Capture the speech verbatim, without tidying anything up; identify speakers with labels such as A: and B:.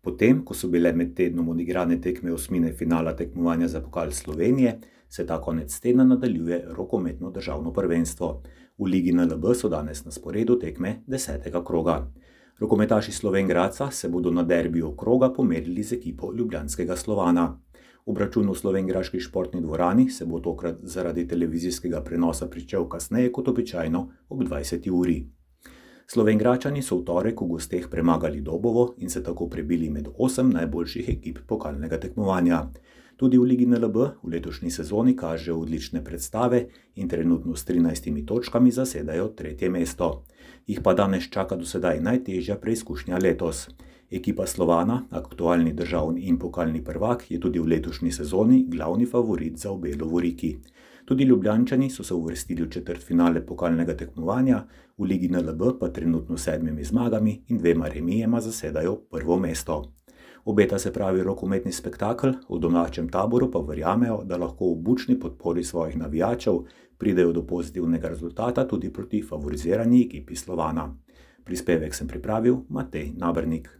A: Potem, ko so bile med tednom odigrane tekme osmine finala tekmovanja za pokal Slovenije, se ta konec tedna nadaljuje rokometno državno prvenstvo. V Ligi N L B so danes na sporedu tekme desetega kroga. Rokometaši Slovenj Gradca se bodo na derbiju kroga pomerili z ekipo ljubljanskega Slovana. Obračun v slovenjgraški športni dvorani se bo tokrat zaradi televizijskega prenosa pričel kasneje kot običajno ob dvajseti uri. Slovenjgračani so v torek v gosteh premagali Dobovo in se tako prebili med osem najboljših ekip pokalnega tekmovanja. Tudi v Ligi N L B v letošnji sezoni kažejo odlične predstave in trenutno s trinajstimi točkami zasedajo tretje mesto. Jih pa danes čaka do sedaj najtežja preizkušnja letos. Ekipa Slovana, aktualni državni in pokalni prvak, je tudi v letošnji sezoni glavni favorit za obe lovoriki. Tudi Ljubljančani so se uvrstili v četrtfinale pokalnega tekmovanja, v Ligi N L B pa trenutno s sedmimi zmagami in dvema remijema zasedajo prvo mesto. Obeta se pravi rokometni spektakel, v domačem taboru pa verjamejo, da lahko v bučni podpori svojih navijačev pridejo do pozitivnega rezultata tudi proti favorizirani ekipi Slovana. Prispevek sem pripravil Matej Nabernik.